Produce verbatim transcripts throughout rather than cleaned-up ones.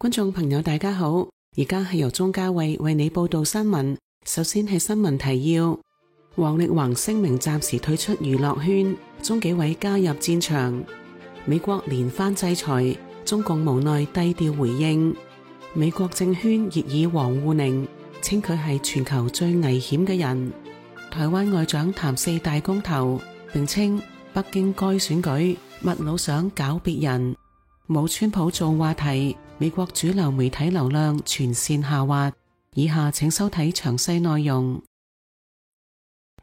觀眾朋友大家好，而家係由鍾嘉慧為你報道新聞。首先係新聞提要：王力宏聲明暫時退出娛樂圈，鍾紀委加入戰場。美國連番制裁，中共無奈低調回應。美國政圈熱議王滬寧，稱佢係全球最危險嘅人。台灣外長談四大公投，並稱北京該選舉密老想搞別人。冇川普做話題，美國主流媒體流量全線下滑。以下請收睇詳細內容。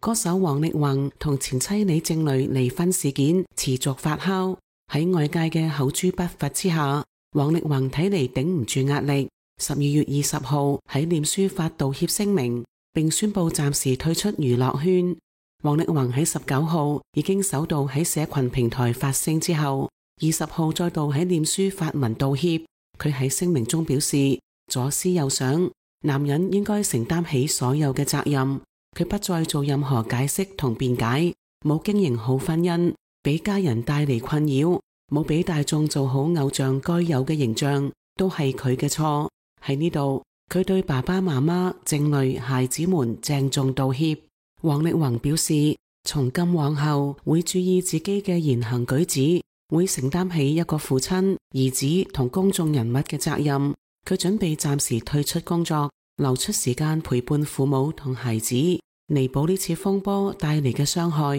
歌手王力宏同前妻李靜蕾離婚事件持續發酵，喺外界嘅口誅筆伐之下，王力宏睇嚟頂唔住壓力。十二月二十號喺臉書發道歉聲明，並宣布暫時退出娛樂圈。王力宏喺十九號已經首度喺社群平台發聲之後，二十號再度喺臉書發文道歉。佢喺聲明中表示，左思右想，男人應該承擔起所有嘅責任。佢不再做任何解釋同辯解，冇經營好婚姻，俾家人帶嚟困擾，冇俾大眾做好偶像該有嘅形象，都係佢嘅錯。喺呢度，佢對爸爸媽媽、靜蕾、孩子們鄭重道歉。王力宏表示，從今往後會注意自己嘅言行舉止，會承擔起一個父親、兒子同公眾人物嘅責任。佢準備暫時退出工作，留出時間陪伴父母同孩子，彌補呢次風波帶嚟嘅傷害。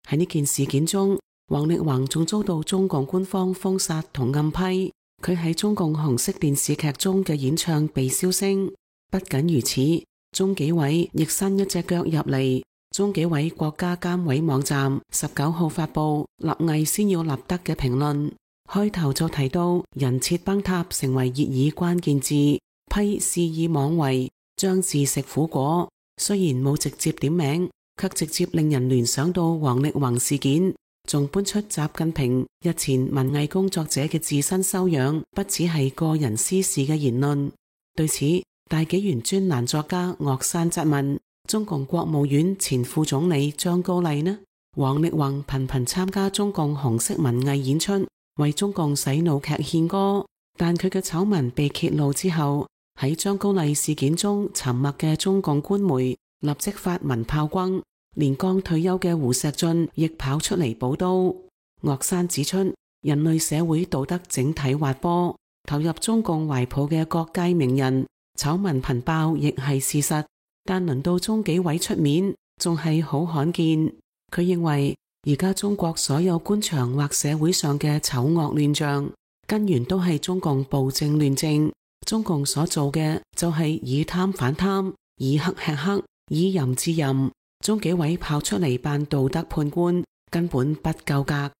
喺呢件事件中，王力宏仲遭到中共官方封殺同暗批。佢喺中共紅色電視劇中嘅演唱被燒聲。不僅如此，中紀委亦伸一隻腳入嚟。中紀委國家監委網站十九號發布立毅先要立德嘅評論，開頭就提到人設崩塌成為熱議關鍵字，批肆意妄為，將自食苦果。雖然冇直接點名，卻直接令人聯想到王力宏事件，仲搬出習近平日前文藝工作者嘅自身修養不只係個人私事嘅言論。對此，大紀元專欄作家岳山質問中共國務院前副總理張高麗呢？王力宏頻頻參加中共紅色文藝演出，為中共洗腦劇獻歌，但佢嘅醜聞被揭露之後，喺張高麗事件中沉默嘅中共官媒立即發文炮轟，連剛退休嘅胡錫進亦跑出嚟補刀。岳山指出，人類社會道德整體滑坡，投入中共懷抱嘅各界名人醜聞頻爆亦係事實，但輪到中紀委出面仲係好罕見。佢認為而家中國所有官場或社會上嘅醜惡亂象，根源都係中共暴政亂政。中共所做嘅就係以貪反貪，以黑吃黑，以淫治淫。中紀委跑出嚟扮道德判官，根本不夠格。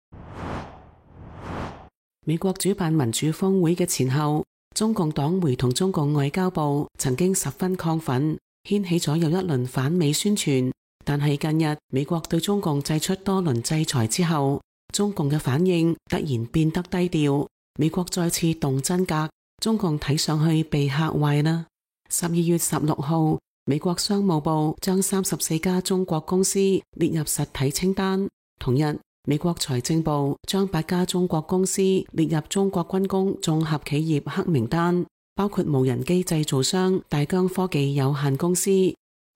美國主辦民主峰會嘅前後，中共黨媒同中共外交部曾經十分亢奮，掀起咗又一輪反美宣傳。但係近日美國對中共祭出多輪制裁之後，中共嘅反應突然變得低調，美國再次動真格，中共睇上去被嚇壞啦。十二月十六號，美國商務部將三十四家中國公司列入實體清單。同日，美國財政部將八家中國公司列入中國軍工綜合企業黑名單，包括無人機製造商大疆科技有限公司。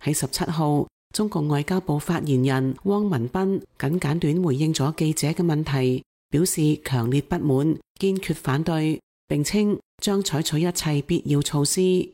喺十七號，中共外交部發言人汪文斌簡簡短回應咗記者嘅問題，表示強烈不滿，堅決反對，並稱將採取一切必要措施。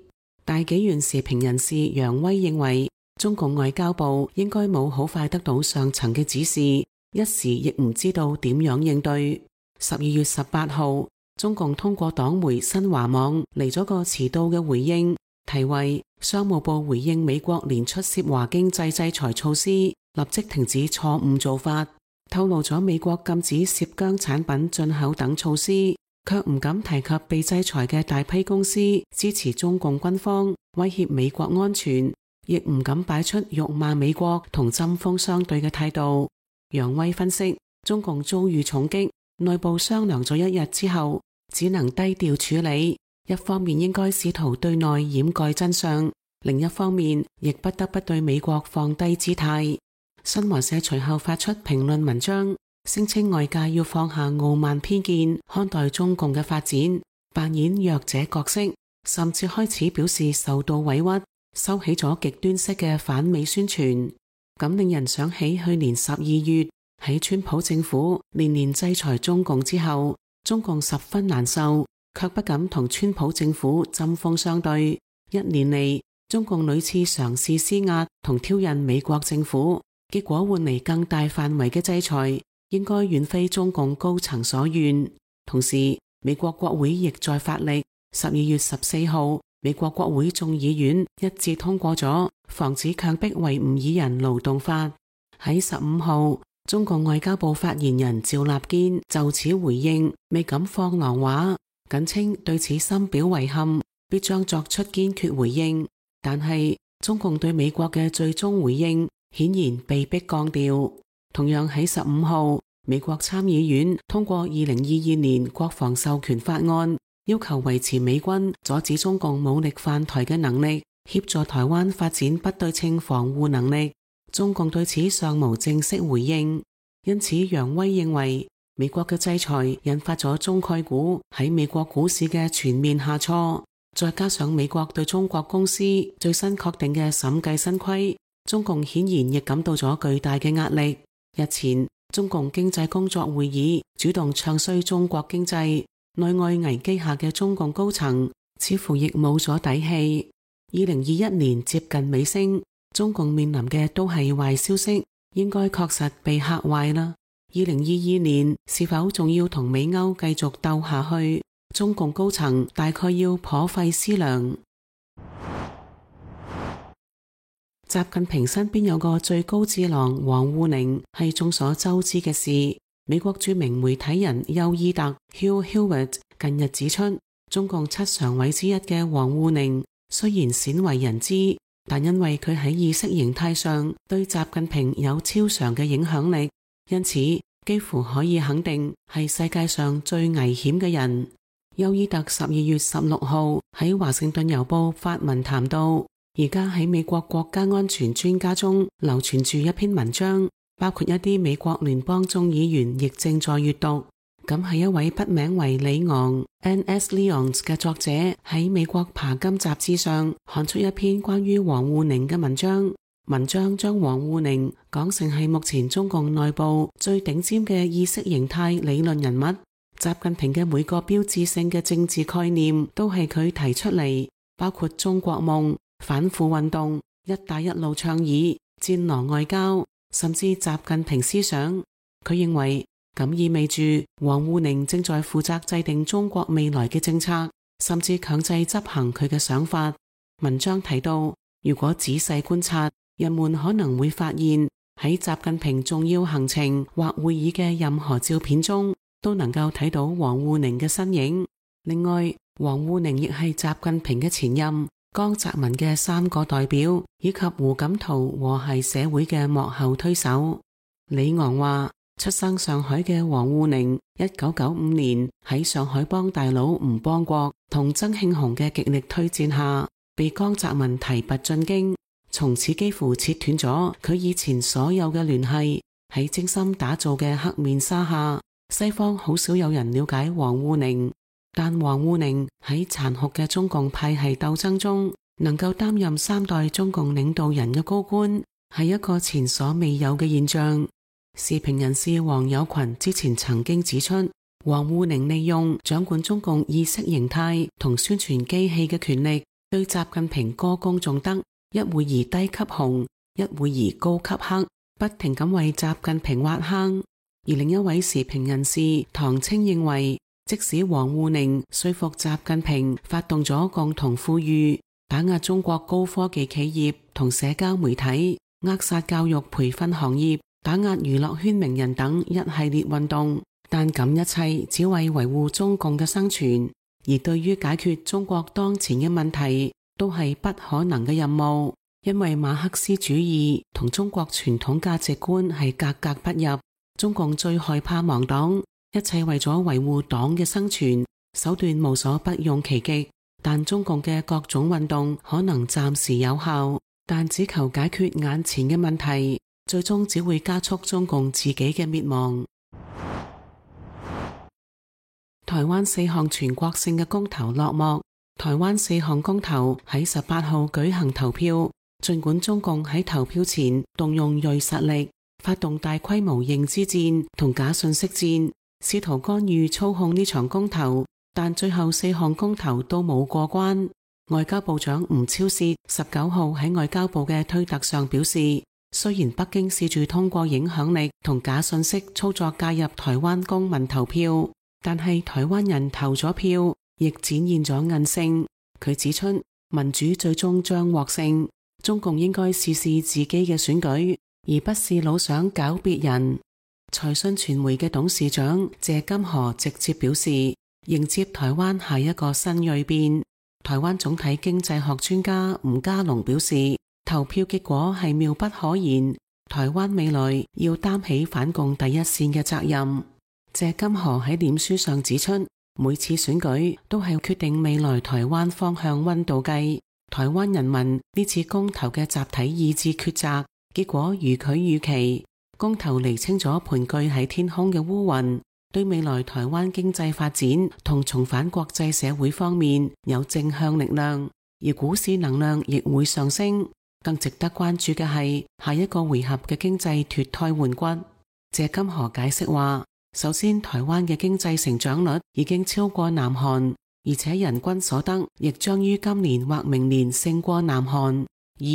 大紀元時評人士楊威認為，中共外交部應該冇好快得到上層嘅指示，一時亦唔知道點樣應對。十二月十八號，中共通過黨媒新華網嚟咗個遲到嘅回應，題為商務部回應美國連出涉華經濟制裁措施，立即停止錯誤做法，透露咗美國禁止涉疆產品進口等措施，卻唔敢提及被制裁嘅大批公司支持中共軍方，威脅美國安全，亦唔敢擺出辱罵美國同針鋒相對嘅態度。楊威分析，中共遭遇重擊，內部商量咗一日之後，只能低調處理。一方面應該試圖對內掩蓋真相，另一方面亦不得不對美國放低姿態。新華社隨後發出評論文章，聲稱外界要放下傲慢偏見，看待中共嘅發展，扮演弱者角色，甚至開始表示受到委屈，收起咗極端式嘅反美宣傳。咁令人想起去年十二月喺川普政府連連制裁中共之後，中共十分難受，卻不敢同川普政府針鋒相對。一年嚟，中共屢次嘗試施壓同挑釁美國政府，結果換嚟更大範圍嘅制裁，應該遠非中共高層所願。同時，美國國會亦在發力。十二月十四號，美國國會眾議院一致通過咗防止強迫維吾爾人勞動法。喺十五號，中共外交部發言人趙立堅就此回應，未敢放狼話，僅稱對此深表遺憾，必將作出堅決回應。但係中共對美國嘅最終回應顯然被迫降調。同樣喺十五號，美國參議院通過二零二二年國防授權法案，要求維持美軍阻止中共武力犯台嘅能力，協助台灣發展不對稱防護能力。中共對此尚無正式回應，因此楊威認為美國嘅制裁引發咗中概股喺美國股市嘅全面下挫，再加上美國對中國公司最新確定嘅審計新規，中共顯然亦感到咗巨大嘅壓力。日前，中共經濟工作會議主動唱衰中國經濟，內外危機下嘅中共高層似乎亦冇咗底氣。二零二一年接近尾聲，中共面臨嘅都係壞消息，應該確實被嚇壞啦。二零二二年是否仲要同美歐繼續鬥下去？中共高層大概要頗費思量。習近平身邊有個最高智囊王滬寧係眾所周知嘅事。美國著名媒體人邱伊特 Hugh Hewitt 近日指出，中共七常委之一嘅王滬寧雖然鮮為人知，但因為佢喺意識形態上對習近平有超常嘅影響力，因此幾乎可以肯定係世界上最危險嘅人。邱伊特十二月十六號喺華盛頓郵報發文談到，而家喺美國國家安全專家中流傳住一篇文章，包括一啲美國聯邦眾議員亦正在閱讀。咁係一位筆名為李昂 N S Leons 嘅作者喺美國爬金雜誌上刊出一篇關於王滬寧嘅文章。文章將王滬寧講成係目前中共內部最頂尖嘅意識形態理論人物。習近平嘅每個標誌性嘅政治概念都係佢提出嚟，包括中國夢、反腐運動、一帶一路倡議、戰狼外交，甚至習近平思想。佢認為咁意味住王滬寧正在負責制定中國未來嘅政策，甚至強制執行佢嘅想法。文章提到，如果仔細觀察，人們可能會發現喺習近平重要行程或會議嘅任何照片中，都能夠睇到王滬寧嘅身影。另外，王滬寧亦係習近平嘅前任江澤民嘅三個代表，以及胡錦濤和諧社會嘅幕後推手。李昂話，出生上海嘅王滬寧，一九九五年喺上海幫大佬吳邦國同曾慶紅嘅極力推薦下，被江澤民提拔進京，從此幾乎切斷咗佢以前所有嘅聯繫。喺精心打造嘅黑面紗下，西方好少有人了解王滬寧。但王滬寧喺殘酷嘅中共派系鬥爭中，能夠擔任三代中共領導人嘅高官，係一個前所未有嘅現象。時評人士黃友群之前曾經指出，王滬寧利用掌管中共意識形態同宣傳機器嘅權力，對習近平歌功頌德，一會兒低級紅，一會兒高級黑，不停咁為習近平挖坑。而另一位時評人士唐青認為，即使王滬寧說服習近平發動咗共同富裕，打壓中國高科技企業同社交媒體，扼殺教育培訓行業，打壓娛樂圈名人等一系列運動，但咁一切只為維護中共嘅生存，而對於解決中國當前嘅問題都係不可能嘅任務，因為馬克思主義同中國傳統價值觀係格格不入。中共最害怕亡黨，一切為咗維護黨嘅生存，手段無所不用其極。但中共嘅各種運動可能暫時有效，但只求解決眼前嘅問題，最終只會加速中共自己嘅滅亡。台灣四項全國性嘅公投落幕。台灣四項公投喺十八號舉行投票，儘管中共喺投票前動用銳實力，發動大規模認知戰同假信息戰，試圖干預操控呢場公投，但最後四項公投都冇過關。外交部長吳釗燮十九號喺外交部嘅推特上表示，雖然北京試住通過影響力同假信息操作介入台灣公民投票，但係台灣人投咗票，亦展現咗韌性。佢指出，民主最終將獲勝，中共應該試試自己嘅選舉，而不是老想搞別人。財訊傳媒嘅董事長謝金河直接表示，迎接台灣下一個新銳變。台灣總體經濟學專家吳家龍表示，投票結果係妙不可言，台灣未來要擔起反共第一線嘅責任。謝金河喺臉書上指出，每次選舉都係決定未來台灣方向溫度計，台灣人民呢次公投嘅集體意志抉擇，結果如佢預期，公投釐清咗盤踞喺天空嘅烏雲，對未來台灣經濟發展同重返國際社會方面有正向力量，而股市能量亦會上升。更值得關注嘅係下一個回合嘅經濟脫胎換骨。謝金河解釋話，首先台灣嘅經濟成長率已經超過南韓，而且人均所得亦將於今年或明年勝過南韓。二、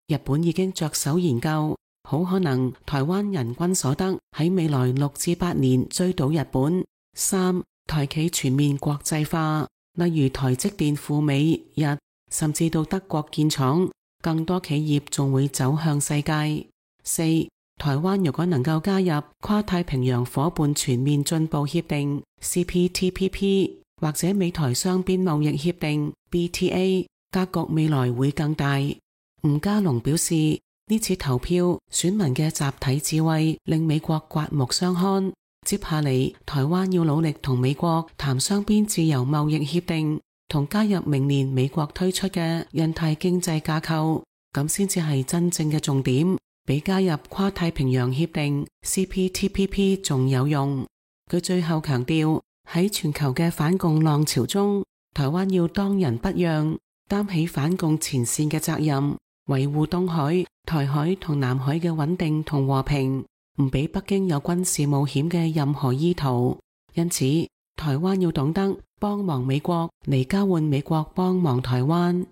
日本已經着手研究，好可能台灣人均所得喺未來六至八年追到日本。三、台企全面國際化，例如台積電赴美日，甚至到德國建廠，更多企業仲會走向世界。四、台灣如果能夠加入跨太平洋夥伴全面進步協定 C P T P P 或者美台雙邊貿易協定 B T A， 格局未來會更大。吳家龍表示，呢次投票選民嘅集體智慧令美國刮目相看。接下嚟台灣要努力同美國談雙邊自由貿易協定，同加入明年美國推出嘅印太經濟架構，咁先至係真正嘅重點，比加入跨太平洋協定 C P T P P 仲有用。佢最後強調，喺全球嘅反共浪潮中，台灣要當仁不讓，擔起反共前線嘅責任，維護東海、台海同南海嘅穩定同和平，唔俾北京有軍事冒險嘅任何意圖。因此，台灣要懂得幫忙美國嚟交換美國幫忙台灣。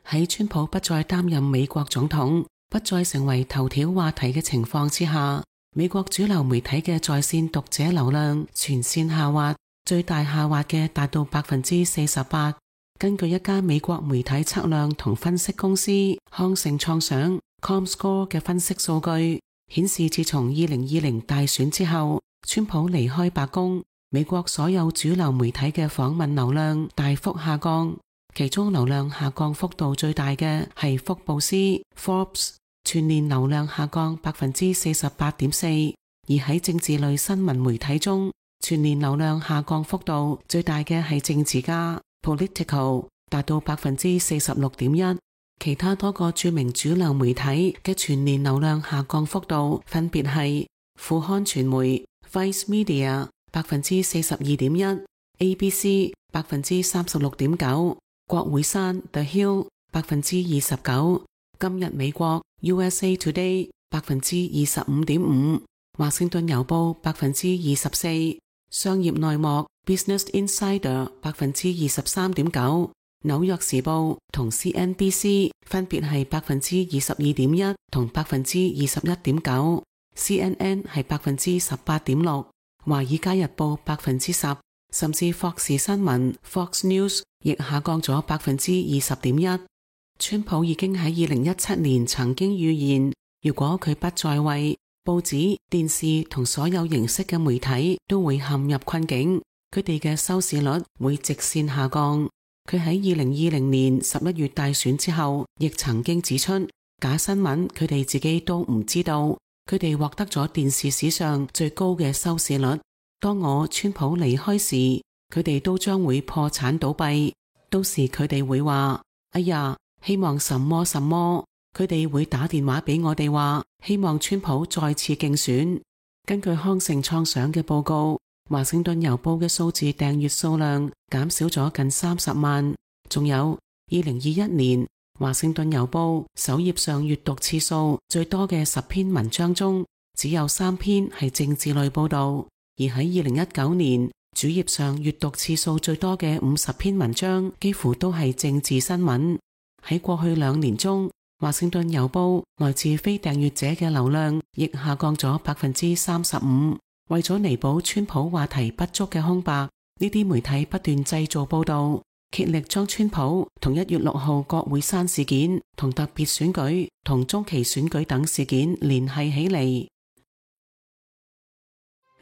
喺川普不再擔任美國總統，不再成為頭條話題嘅情況之下，美國主流媒體嘅在線讀者流量全線下滑，最大下滑嘅達到百分之四十八。根據一家美國媒體測量同分析公司康盛創想 Comscore 嘅分析數據顯示，自從二零二零大選之後，川普離開白宮，美國所有主流媒體嘅訪問流量大幅下降，其中流量下降幅度最大嘅係福布斯 Forbes， 全年流量下降百分之四十八點四。而喺政治類新聞媒體中，全年流量下降幅度最大嘅係政治家 Politico， 達到百分之四十六點一。其他多個著名主流媒體嘅全年流量下降幅度分別係副刊傳媒 Vice Media 百分之四十二點一， A B C 百分之三十六點九，國會山 The Hill 百分之二十九，今日美國 U S A Today 百分之二十五點五，華盛頓郵報百分之二十四，商業內幕 Business Insider 百分之二十三點九，紐約時報同 C N B C 分別係百分之二十二點一同百分之二十一點九 ，C N N 係百分之十八點六，華爾街日報百分之十，甚至霍士新聞 Fox News 亦下降咗百分之二十點一。川普已經喺二零一七年曾經預言，如果佢不在位，報紙、電視同所有形式嘅媒體都會陷入困境，佢哋嘅收視率會直線下降。佢喺二零二零年十一月大選之後，亦曾經指出，假新聞佢哋自己都唔知道，佢哋獲得咗電視史上最高嘅收視率。當我川普離開時，佢哋都將會破產倒閉，到時佢哋會話，哎呀，希望什麼什麼，佢哋會打電話俾我哋話，希望川普再次競選。根據康城創想嘅報告，華盛頓郵報嘅數字訂閱數量減少咗近三十萬。仲有二零二一年華盛頓郵報首頁上閱讀次數最多嘅十篇文章中，只有三篇係政治類報道。而喺二零一九年主頁上閱讀次數最多嘅五十篇文章，幾乎都係政治新聞。喺過去兩年中，華盛頓郵報來自非訂閱者嘅流量亦下降咗百分之三十五。為咗彌補川普話題不足嘅空白，呢啲媒體不斷製造報道，竭力將川普同一月六號國會山事件、同特別選舉、同中期選舉等事件聯繫起嚟。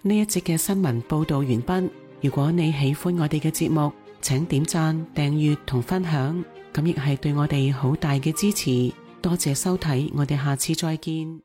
呢一節嘅新聞報道完畢。如果你喜歡我哋嘅節目，請點讚、訂閱同分享，咁亦係對我哋好大嘅支持。多謝收睇，我哋下次再見。